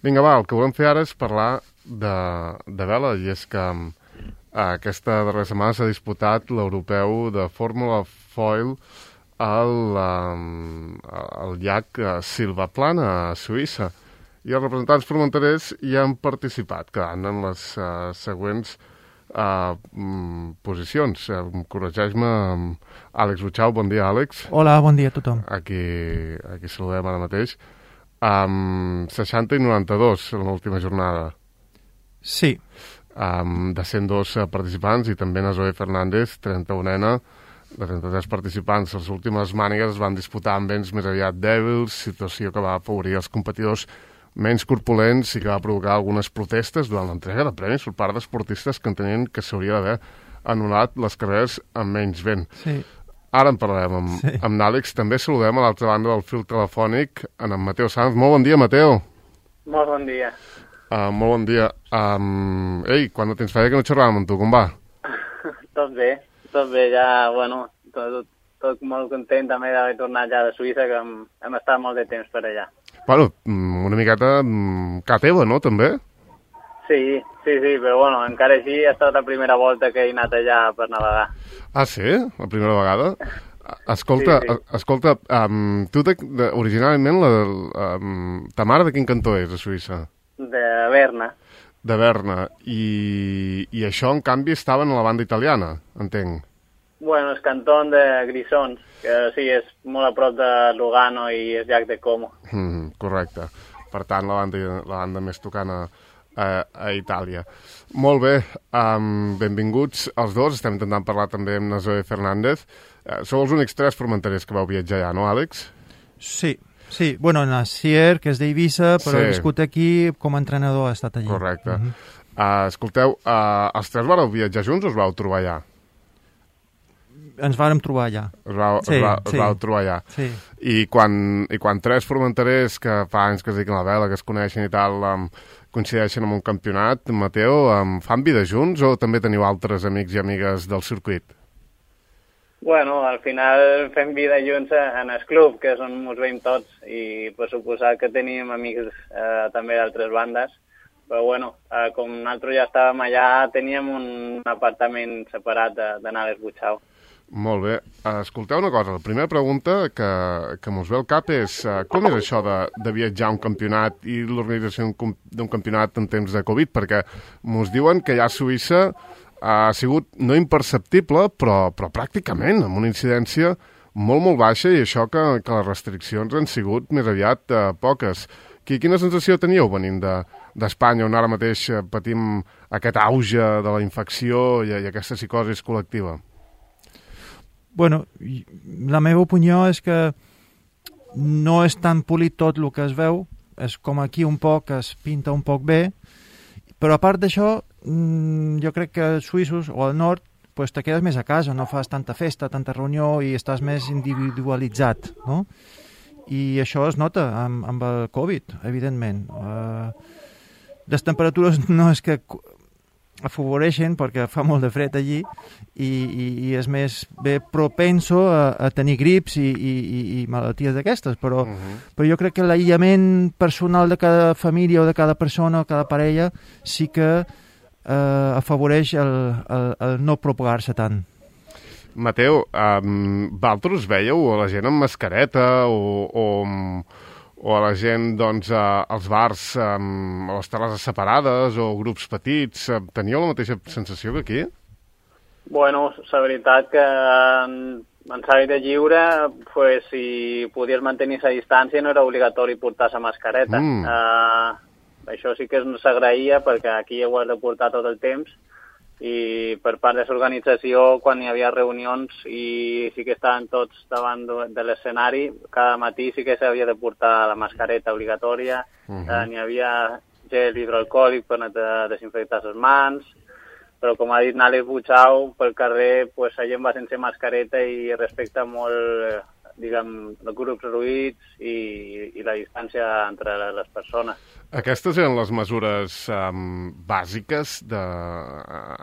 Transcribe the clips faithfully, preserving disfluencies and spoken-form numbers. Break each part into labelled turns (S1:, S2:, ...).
S1: Vinga, va, el que volem fer ara és parlar de, de vela, i és que uh, aquesta darrera setmana s'ha disputat l'europeu de Fórmula Foil al, um, al llac uh, Silvaplana, a Suïssa. I els representants formenterers hi han participat, quedant en les uh, següents uh, mm, posicions. Uh, corregeix-me, um, Àlex Butxau. Bon dia, Àlex.
S2: Hola, bon dia a tothom.
S1: Aquí, aquí saludem ara mateix. Um, seixanta i noranta-dos en l'última jornada.
S2: Sí.
S1: Um, de cent dos participants, i també na Zoe Fernández, trenta-unena, de trenta-tres participants. Les últimes mànigues es van disputar amb vents més aviat dèbils, situació que va afavorir els competidors menys corpulents i que va provocar algunes protestes durant l'entrega de premis per part d'esportistes que entenien que s'hauria d'haver anul·lat les carreres amb menys vent.
S2: Sí.
S1: Ara en parlarem amb, sí. amb n'Àlex. També saludem a l'altra banda del fil telefònic en en Mateu Sanz. Molt bon dia, Mateu.
S3: Molt bon dia.
S1: Uh, molt bon dia. Um, ei, quan no tens feina que no xerràvem amb tu, com va?
S3: Tot bé, tot bé, ja, bueno, tot, tot molt content també d'haver tornat ja de Suïssa, que hem, hem estat molt de temps per allà.
S1: Bueno, una miqueta ca teva, no, també?
S3: Sí, sí, sí, però bueno, encara així ha estat la primera volta que he anat allà per navegar.
S1: Ah, sí? La primera vegada? Escolta, sí, sí. escolta, um, tu de, de, originalment la, um, ta mare de quin cantó és, a Suïssa?
S3: De Berna.
S1: De Berna. I, I això, en canvi, estaven a la banda italiana, entenc.
S3: Bueno, és cantó de Grisons, que sí, és molt a prop de Lugano i és llac de Como.
S1: Mm, correcte. Per tant, la banda, la banda més tocant a, a, a Itàlia. Molt bé, um, benvinguts els dos. Estem intentant parlar també amb na Zoe Fernández. Uh, sou els únics tres formenterers que vau viatjar ja, no, Àlex?
S2: Sí, sí. Bueno, Nasier, que és d'Eivissa, però sí. Ha viscut aquí com a entrenador, ha estat allí.
S1: Correcte. Uh-huh. uh, escolteu, uh, els tres vareu viatjar junts o us vau trobar allà?
S2: Ens vàrem trobar allà.
S1: Us vau, sí, us vau, us
S2: sí.
S1: vau trobar allà.
S2: Sí.
S1: I quan, I quan tres formenterers que fa anys que es dediquen a la vela, que es coneixen i tal, um, coincideixen en un campionat, Mateu, um, fan vida junts o també teniu altres amics i amigues del circuit?
S3: Bueno, al final fem vida junts en el club, que és on ens veiem tots, i per suposat que tenim amics eh, també d'altres bandes, però bueno, eh, com nosaltres ja estàvem allà, teníem un apartament separat d'anar a l'Esbutxau.
S1: Molt bé. Escolteu una cosa, la primera pregunta que, que mos ve al cap és uh, com és això de, de viatjar a un campionat i l'organització d'un campionat en temps de Covid? Perquè mos diuen que allà a Suïssa ha sigut no imperceptible, però, però pràcticament amb una incidència molt, molt baixa, i això que, que les restriccions han sigut més aviat uh, poques. Quina sensació teníeu venint d'Espanya, de, on ara mateix patim aquest auge de la infecció i, i aquesta psicosi col·lectiva?
S2: Bueno, la meva opinió és que no és tan polit tot el que es veu, és com aquí un poc, es pinta un poc bé, però a part d'això, jo crec que els suïssos o al nord pues, te quedes més a casa, no fas tanta festa, tanta reunió i estàs més individualitzat, no? I això es nota amb, amb el Covid, evidentment. Uh, les temperatures no és que afavoreixen perquè fa molt de fred allí i, i, i és més bé propenso a, a tenir grips i, i, i malalties d'aquestes, però, uh-huh. però jo crec que l'aïllament personal de cada família o de cada persona o cada parella sí que eh, afavoreix el, el, el no propagar-se tant.
S1: Mateu, um, vosaltres veieu a la gent amb mascareta o, o, o a la gent doncs, a, als bars um, a les terrasses separades o grups petits? Teníeu la mateixa sensació que aquí?
S3: Bueno, la veritat que en, en l'aire lliure, pues, si podies mantenir la distància no era obligatori portar la mascareta. Mm. Uh, això sí que s'agraïa perquè aquí ho has de portar tot el temps, i per part de l'organització, quan hi havia reunions i sí que estaven tots davant de l'escenari, cada matí sí que s'havia de portar la mascareta obligatòria, uh-huh. eh, n'hi havia gel hidroalcohòlic per desinfectar les mans, però com ha dit Àlex Butxau, pel carrer pues, la gent va sense mascareta i respecta molt diguem, els grups reduïts i, i la distància entre les persones.
S1: Aquestes eren les mesures um, bàsiques de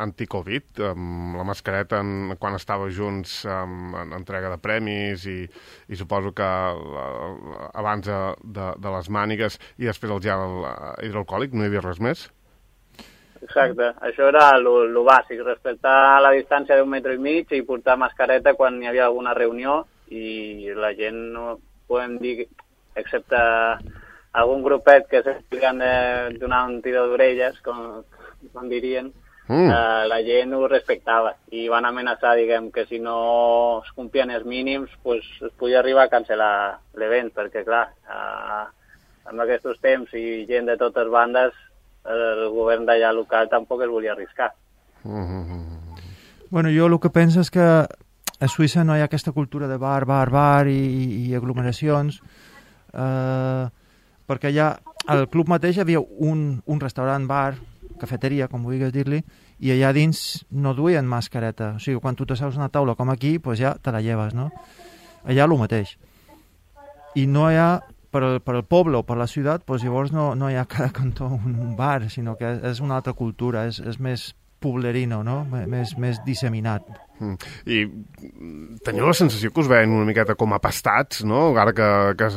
S1: anti-Covid, um, la mascareta en, quan estava junts um, en entrega de premis i, i suposo que uh, abans de, de, de les mànigues i després el gel hidroalcohòlic, no hi havia res més?
S3: Exacte, això era el bàsic, respectar la distància d'un metre i mig i portar mascareta quan hi havia alguna reunió i la gent, no podem dir, excepte algun grupet que s'expliquen de donar un tiro d'orelles, com, com dirien, mm. eh, la gent ho respectava i van amenaçar, diguem, que si no es complien els mínims pues, es podia arribar a cancel·lar l'event, perquè clar, eh, en aquests temps i gent de totes bandes el govern d'allà local tampoc es volia arriscar.
S2: Mm-hmm. Bueno, jo el que penso és que a Suïssa no hi ha aquesta cultura de bar, bar, bar i, i aglomeracions, eh, perquè allà al club mateix hi havia un, un restaurant, bar, cafeteria, com vulguis dir-li, i allà dins no duien mascareta. O sigui, quan tu t'asseus a una taula com aquí, pues ja te la lleves, no? Allà el mateix. I no hi ha per al, per al poble o per la ciutat, doncs llavors no, no hi ha cada cantó un, un bar, sinó que és una altra cultura, és, és més poblerino, no? Més, més disseminat.
S1: Mm. I teniu la sensació que us veien una miqueta com apastats, no? Ara que, que,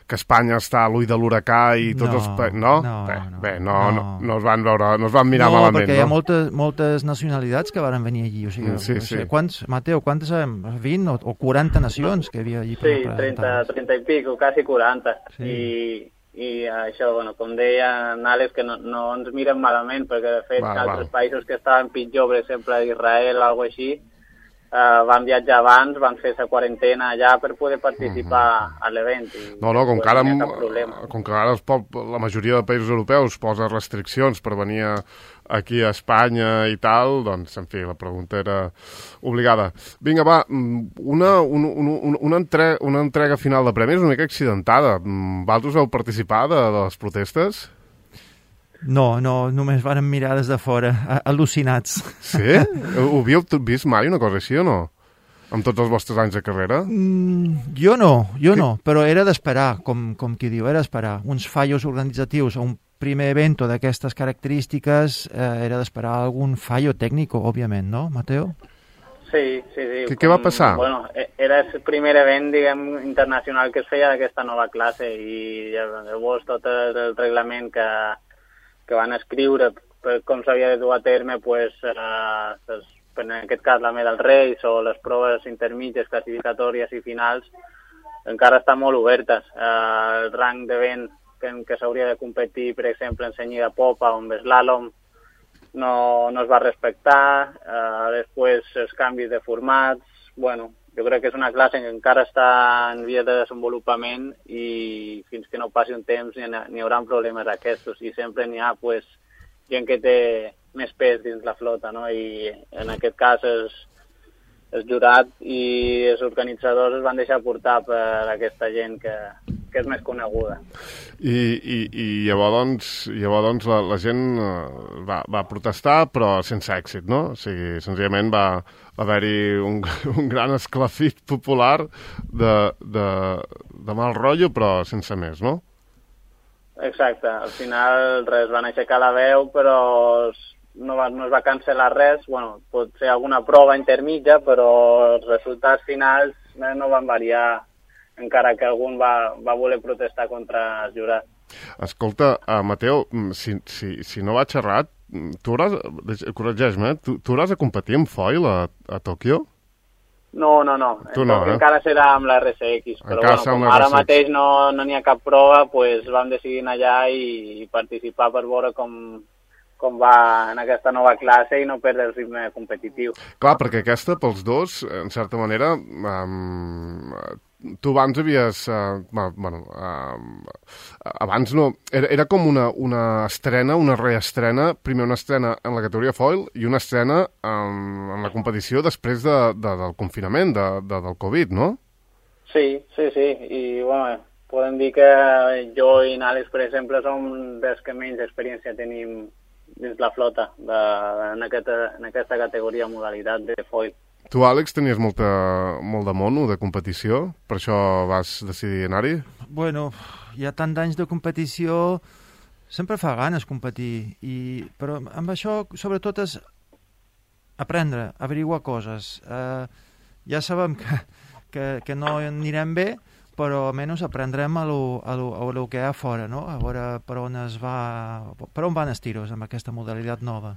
S1: que Espanya està a l'ull de l'huracà i tots
S2: no,
S1: els... Pa... No?
S2: No,
S1: bé,
S2: no,
S1: bé, no,
S2: no.
S1: no, no us van veure, no us van mirar
S2: no,
S1: malament, no?
S2: Perquè hi ha moltes, moltes nacionalitats que van venir allí, o sigui,
S1: sí,
S2: no sé,
S1: sí.
S2: quants, Mateu, quantes sabem? vint o, o quaranta nacions que hi havia allí?
S3: Sí, trenta, trenta i pico, quasi quaranta. Sí. I, i això, bueno, com deia Àlex, que no, no ens miren malament, perquè de fet va, altres va. països que estaven pitjor, per exemple Israel o alguna així, Uh, van viatjar abans, van fer la quarantena allà per poder participar uh-huh. a l'event.
S1: No, no, com que ara, com que ara pot, la majoria de països europeus posa restriccions per venir a, aquí a Espanya i tal, doncs, en fi, la pregunta era obligada. Vinga, va, una, un, un, una, entre, una entrega final de premis una mica accidentada. Vosaltres vau participar de, de les protestes?
S2: No, no, només vàrem mirar des de fora, al·lucinats.
S1: Sí? Ho havíeu vist mai una cosa així o no? Amb tots els vostres anys de carrera?
S2: Mm, jo no, jo que... no, però era d'esperar, com, com qui diu, era d'esperar. Uns fallos organitzatius a un primer evento d'aquestes característiques eh, era d'esperar algun fallo tècnic, òbviament, no, Mateo?
S3: Sí, sí, sí.
S1: Què, què va passar?
S3: Bueno, era el primer event, diguem, internacional que es feia d'aquesta nova classe i llavors tot el reglament que que van escriure per com s'havia de dur a terme, pues, eh, en aquest cas la Medal Race o les proves intermitges, classificatòries i finals, encara estan molt obertes. Eh, el rang d'event que, que s'hauria de competir, per exemple, en senyida popa o en slalom, no, no es va respectar. Eh, després els canvis de formats, bueno, jo crec que és una classe que encara està en via de desenvolupament i fins que no passi un temps n'hi haurà problemes aquests i sempre n'hi ha pues, gent que té més pes dins la flota, no? I en aquest cas el, el jurat i els organitzadors es van deixar portar per aquesta gent que, que és més coneguda.
S1: I, i, i llavors, doncs, llavors doncs, la, la gent va, va protestar però sense èxit, no? O sigui, senzillament va haver-hi un, un gran esclafit popular de, de, de mal rotllo, però sense més, no?
S3: Exacte. Al final res, van aixecar la veu, però no, va, no es va cancel·lar res. Bueno, pot ser alguna prova intermitja, però els resultats finals no van variar, encara que algun va, va voler protestar contra el jurat. Escolta,
S1: uh, Mateu, si, si, si no vaig errat, tu hauràs, corregeix-me, tu, tu hauràs de competir en foil a, a Tòquio?
S3: No, no, no.
S1: Tu no, eh?
S3: Encara serà amb la R S X, però bueno, com ara mateix no n'hi ha cap prova, pues vam decidir anar allà i, i participar per veure com, com va en aquesta nova classe i no perdre el ritme competitiu.
S1: Clar, perquè aquesta, pels dos, en certa manera, um, tu abans havies... Uh, bueno, uh, abans no... Era, era com una, una estrena, una reestrena, primer una estrena en la categoria foil i una estrena um, en la competició després de, de, del confinament, de, de, del Covid, no?
S3: Sí, sí, sí. I, bueno, podem dir que jo i Àlex, per exemple, som dels que menys experiència tenim dins la flota de, en, aquesta, en aquesta categoria modalitat de foil.
S1: Tu, Àlex, tenies molta, molt de mono, de competició, per això vas decidir anar-hi?
S2: Bueno, hi ha tant d'anys de competició, sempre fa ganes competir, i, però amb això sobretot és aprendre, averiguar coses. Uh, ja sabem que, que, que no anirem bé, però almenys aprendrem a lo, a lo, a lo que hi ha fora, no? A veure per on es va, per on van els tiros amb aquesta modalitat nova.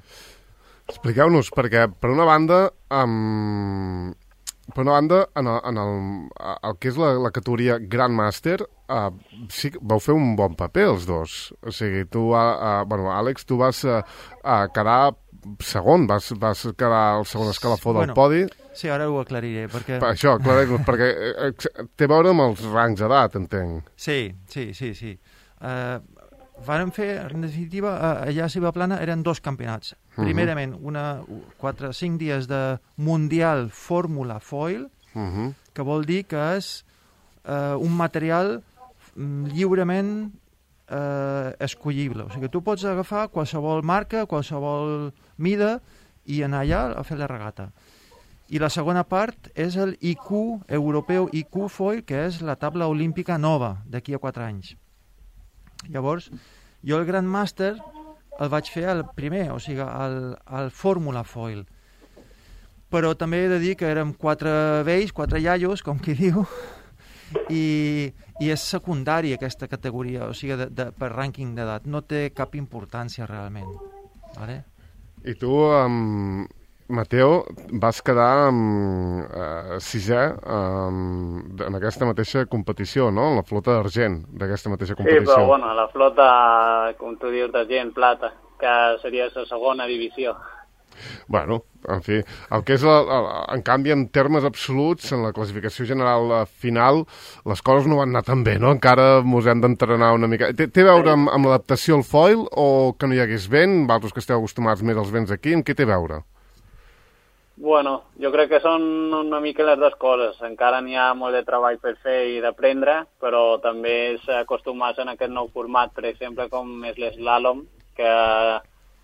S1: Expliqueu-nos, perquè per una banda, um, per una banda en, el, en el, el que és la, la categoria Grandmaster, uh, sí que vau fer un bon paper els dos. O sigui, tu, uh, uh, bueno, Àlex, tu vas uh, uh, quedar segon, vas, vas quedar el segon escalafó del bueno, podi.
S2: Sí, ara ho aclariré, perquè...
S1: Per això, aclareix-nos, perquè uh, té a veure amb els rangs d'edat, entenc.
S2: Sí, sí, sí, sí. Uh, Vàrem fer, en definitiva, allà a Ciba Plana eren dos campionats. Uh-huh. Primerament, una, quatre, cinc dies de Mundial Fórmula Foil, uh-huh. que vol dir que és eh, un material lliurement eh, escollible. O sigui, tu pots agafar qualsevol marca, qualsevol mida i anar allà a fer la regata. I la segona part és el I Q europeu, I Q Foil, que és la taula olímpica nova d'aquí a quatre anys. Llavors, jo el Grandmaster el vaig fer el primer, o sigui, el, el Fórmula Foil. Però també he de dir que érem quatre vells, quatre iaios, com qui diu, i, i és secundari aquesta categoria, o sigui, de, de, per rànquing d'edat. No té cap importància realment. Vale?
S1: I tu, um, Mateo, vas quedar um, uh, sisè um, en aquesta mateixa competició, no? En la flota d'argent d'aquesta mateixa competició.
S3: Sí, però bueno, la flota, com tu dius, d'argent, plata, que seria la segona divisió.
S1: Bueno, en fi, el que és, la, la, en canvi, en termes absoluts, en la classificació general final, les coses no van anar tan bé, no? Encara mos hem d'entrenar una mica. Té, té a veure amb, amb l'adaptació al foil o que no hi hagués vent? Vosaltres que esteu acostumats més als vents aquí, amb què té a veure?
S3: Bueno, jo crec que són una mica les dues coses. Encara n'hi ha molt de treball per fer i d'aprendre, però també és acostumar-se en aquest nou format, per exemple, com és l'eslàlom, que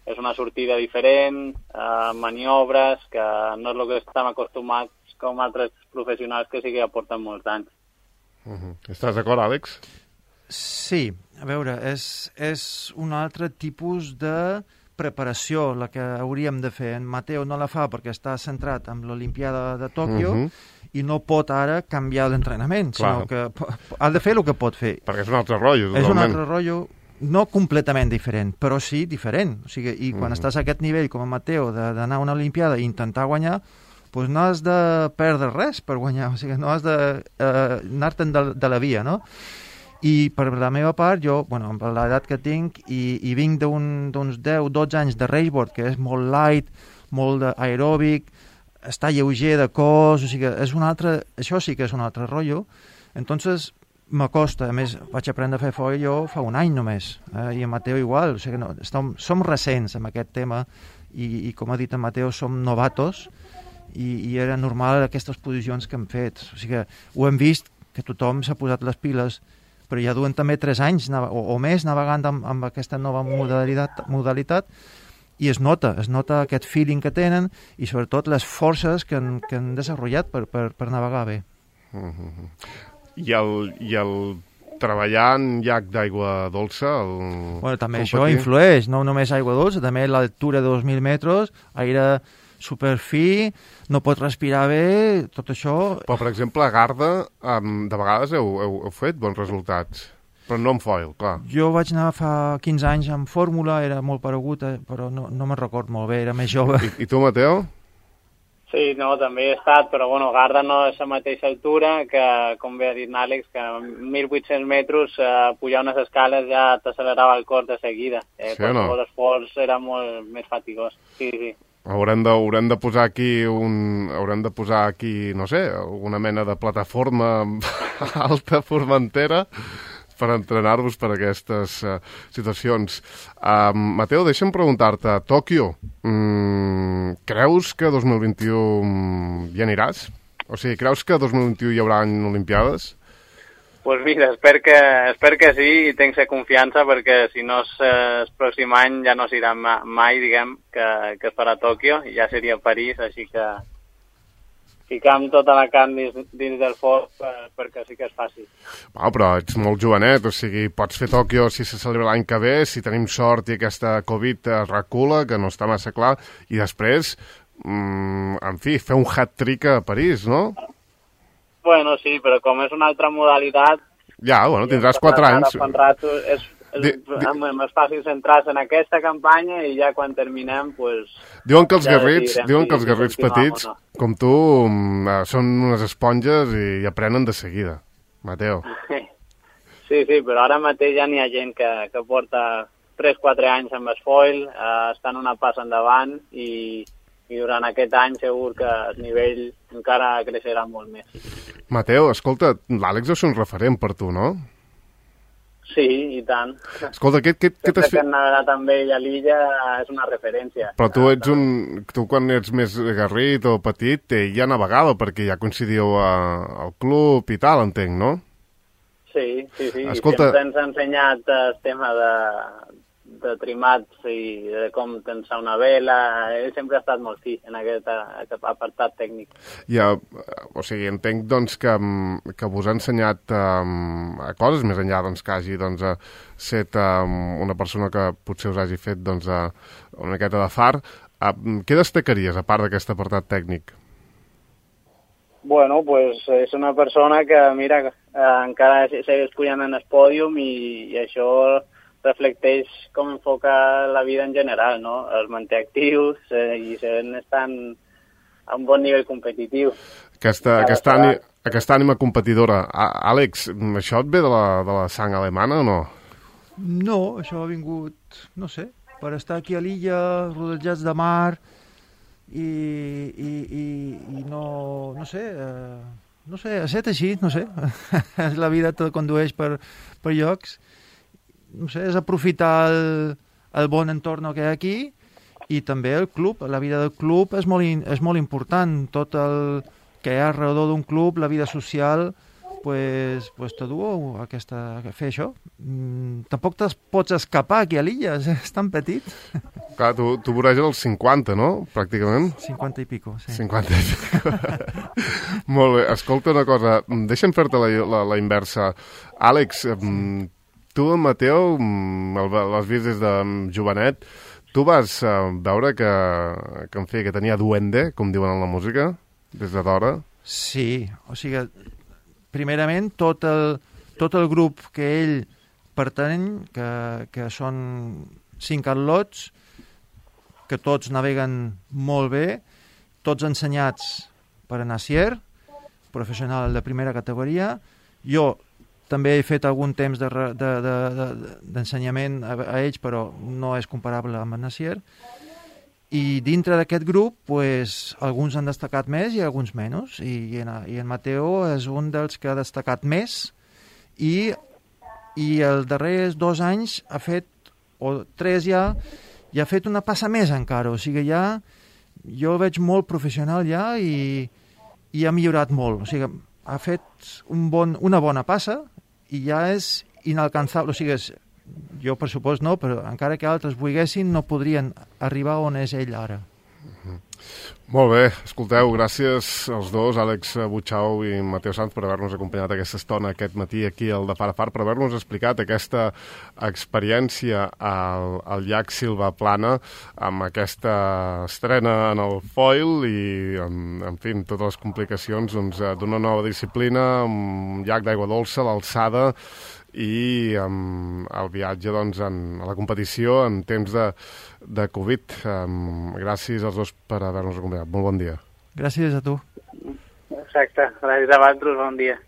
S3: és una sortida diferent, eh, maniobres, que no és el que estem acostumats com altres professionals que sí que ja porten molts anys.
S1: Uh-huh. Estàs d'acord, Àlex?
S2: Sí, a veure, és, és un altre tipus de preparació la que hauríem de fer. En Mateo no la fa perquè està centrat en l'Olimpiada de Tòquio uh-huh. i no pot ara canviar l'entrenament, sinó que ha de fer el que pot fer.
S1: Perquè és un altre rotllo, totalment.
S2: És un altre rotllo, no completament diferent, però sí diferent. O sigui, i quan uh-huh. estàs a aquest nivell, com en Mateo, d'anar a una Olimpiada i intentar guanyar, doncs no has de perdre res per guanyar, o sigui, no has d'anar-te'n de, de la via, no? I per la meva part, jo, bueno, amb l'edat que tinc, i, i vinc d'uns deu dotze anys de raceboard, que és molt light, molt aeròbic, està lleuger de cos, o sigui, és un altre, això sí que és un altre rotllo. Entonces, m'acosta, a més, vaig aprendre a fer foil jo fa un any només, eh? I en Mateo igual, o sigui, no, estem, som recents en aquest tema, i, i com ha dit en Mateo, som novatos, i, i era normal aquestes posicions que hem fet. O sigui, ho hem vist, que tothom s'ha posat les piles, però ja duen també tres anys o, o més navegant amb, amb aquesta nova modalitat, modalitat i es nota, es nota aquest feeling que tenen i sobretot les forces que han, que han desenvolupat per, per, per navegar bé.
S1: Uh-huh. I, el, I el treballar en llac d'aigua dolça? El...
S2: Bueno, també competir... això influeix, no només aigua dolça, també l'altura de dos mil metres, aire superfi, no pot respirar bé, tot això...
S1: Però, per exemple, a Garda, um, de vegades heu, heu, heu fet bons resultats, però no en foil, clar.
S2: Jo vaig anar fa quinze anys amb fórmula, era molt paregut, eh, però no, no me'n record molt bé, era més jove.
S1: I, i tu, Mateo?
S3: Sí, no, també he estat, però bueno, Garda no és la mateixa altura que, com bé ha dit Àlex, que a mil vuit-cents metres eh, pujar unes escales ja t'accelerava el cor de seguida. Eh, sí o no? L'esforç era molt més fatigós, sí, sí.
S1: Haurem de, haurem de posar aquí un, haurem de posar aquí, no sé, alguna mena de plataforma alta formentera per entrenar-vos per aquestes uh, situacions. Uh, Mateo, deixa'm preguntar-te, Tòquio, mm, creus que dos mil vint-i-u hi aniràs? O sigui, creus que dos mil vint-i-u hi haurà Olimpiades?
S3: Pues mira, espero que, espero que sí i tinc confiança perquè si no és el pròxim any ja no s'irà mai, diguem, que, que es farà a Tòquio i ja seria a París, així que ficam tota la carn dins, dins del foc per, perquè sí que es faci.
S1: Wow, però ets molt jovenet, o sigui, pots fer Tòquio si se celebra l'any que ve, si tenim sort i aquesta Covid es recula, que no està massa clar, i després, mmm, en fi, fer un hat-trick a París, no?
S3: Bueno, sí, però com és una altra modalitat...
S1: Ja, bueno, tindràs quatre anys.
S3: Rato, és, és, di, di... és fàcil centrar-se en aquesta campanya i ja quan terminem, pues...
S1: Diuen que els ja garrits, diuen que els garrits petits, no. com tu, són unes esponges i, i aprenen de seguida, Mateo.
S3: Sí, sí, però ara mateix ja n'hi ha gent que, que porta tres quatre anys amb el foil, eh, estan una passa endavant i, i durant aquest any segur que el nivell encara creixerà molt més.
S1: Mateo, escolta, l'Àlex és un referent per tu, no?
S3: Sí, i tant.
S1: Escolta, què, què, què t'has fet?
S3: Sempre que hem navegat amb ell a l'illa és una referència.
S1: Però tu ets un... Tu quan ets més garrit o petit, ell ja navegava perquè ja coincidíeu a, al club i tal, entenc, no?
S3: Sí, sí, sí.
S1: Escolta...
S3: Sempre ens ha ensenyat el tema de, de trimats i de com tensar una vela. Ell sempre ha estat molt fi en aquest, aquest apartat tècnic.
S1: Ja, o sigui, entenc doncs, que, que vos ha ensenyat um, coses més enllà doncs, que hagi doncs, set um, una persona que potser us hagi fet doncs, una miqueta de far. Uh, què destacaries, a part d'aquest apartat tècnic?
S3: Bueno, pues és una persona que, mira, eh, encara segueix pujant en el pòdium i, i això reflecteix com enfoca la vida en general, no? Els manté actius eh, i estan a un bon nivell competitiu.
S1: Aquesta, aquesta, ànima, aquesta ànima competidora. Àlex, això et ve de la, de la sang alemana o no?
S2: No, això ha vingut, no sé, per estar aquí a l'illa, rodejats de mar... I, i, i, i no, no sé, eh, no sé, ha estat així, no sé, la vida te condueix per, per llocs, no sé, és aprofitar el, el bon entorn que hi ha aquí i també el club, la vida del club és molt, és molt important, tot el que hi ha alrededor d'un club, la vida social, pues, pues te du a, aquesta, a fer això. Mm, tampoc te'ls pots escapar aquí a l'illa, és, és tan petit.
S1: Clar, tu, tu voreges els cinquanta, no? Pràcticament.
S2: cinquanta i pico, sí.
S1: cinquanta i pico. Molt bé, escolta una cosa, deixa'm fer-te la, la, la inversa. Àlex, sí. Tu, Mateo, l'has vist des de jovenet, tu vas uh, veure que, que, en fi, que tenia duende, com diuen en la música, des de d'hora?
S2: Sí, o sigui, primerament, tot el, tot el grup que ell pertany, que, que són cinc atlots, que tots naveguen molt bé, tots ensenyats per a Nassier, professional de primera categoria. Jo també he fet algun temps de, de, de, de, d'ensenyament a, a ells, però no és comparable amb el Nassier. I dintre d'aquest grup, pues, alguns han destacat més i alguns menys. I, i, en, i en Mateo és un dels que ha destacat més i, i els darrers dos anys ha fet, o tres ja, ja ha fet una passa més encara. O sigui, ja jo el veig molt professional ja i, i ha millorat molt. O sigui, ha fet un bon, una bona passa i ja és inalcançable. O sigui, és, jo, per supost, no, però encara que altres volguessin, no podrien arribar on és ell ara.
S1: Uh-huh. Molt bé, escolteu, gràcies als dos, Àlex Butxau i Mateo Sanz, per haver-nos acompanyat aquesta estona aquest matí aquí al de Far a Far, per haver-nos explicat aquesta experiència al, al llac Silvaplana, amb aquesta estrena en el foil i, en, en fi, totes les complicacions doncs, d'una nova disciplina, un llac d'aigua dolça, l'alçada, i um, el viatge doncs, en, a la competició en temps de, de Covid. Um, gràcies als dos per haver-nos acompanyat. Molt bon dia.
S2: Gràcies a tu.
S3: Exacte. Gràcies a vosaltres. Bon dia.